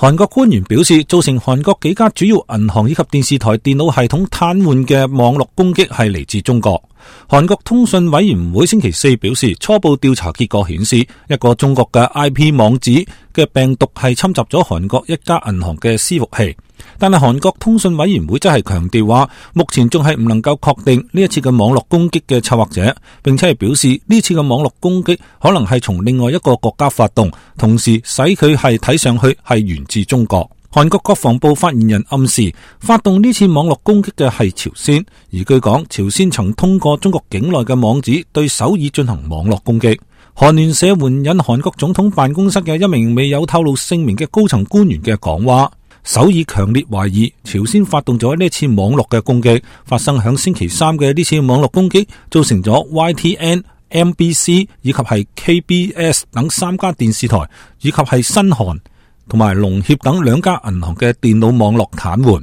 韓國官員表示，造成韓國幾家主要銀行以及電視台電腦系統癱瘓嘅網絡攻擊係嚟自中國。韓國通訊委員會星期四表示，初步調查結果顯示，一個中國嘅 IP 網址嘅病毒係侵襲咗韓國一家銀行嘅伺服器。但係韓國通訊委員會則係強調話，目前仲係唔能夠確定呢一次嘅網絡攻擊嘅策劃者，並且係表示呢次嘅網絡攻擊可能係從另外一個國家發動，同時使佢係睇上去係源自中國。韓國國防部發言人暗示，發動呢次網絡攻擊嘅係朝鮮，而據講，朝鮮曾通過中國境內嘅網址對首爾進行網絡攻擊。韓聯社援引韓國總統辦公室嘅一名未有透露姓名嘅高層官員嘅講話，首爾強烈懷疑朝鮮發動咗呢次網絡嘅攻擊，發生響星期三嘅呢次網絡攻擊，造成咗 YTN、MBC 以及係 KBS 等3家電視台，以及係新韓同埋農協等2家銀行嘅電腦網絡癱瘓。